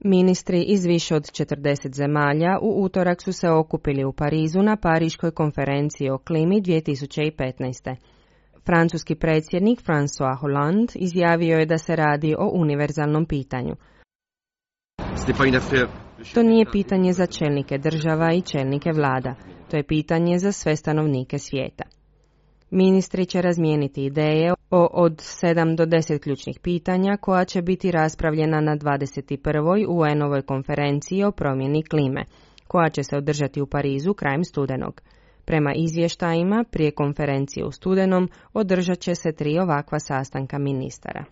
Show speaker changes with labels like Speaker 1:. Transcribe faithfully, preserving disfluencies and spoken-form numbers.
Speaker 1: Ministri iz više od četrdeset zemalja u utorak su se okupili u Parizu na Pariškoj konferenciji o klimi dvije tisuće petnaest. Francuski predsjednik François Hollande izjavio je da se radi o univerzalnom pitanju. To nije pitanje za čelnike država i čelnike vlada, to je pitanje za sve stanovnike svijeta. Ministri će razmijeniti ideje o od sedam do deset ključnih pitanja koja će biti raspravljena na dvadeset prvoj U N-ovoj konferenciji o promjeni klime, koja će se održati u Parizu krajem studenog. Prema izvještajima, prije konferencije u studenom održat će se tri ovakva sastanka ministara.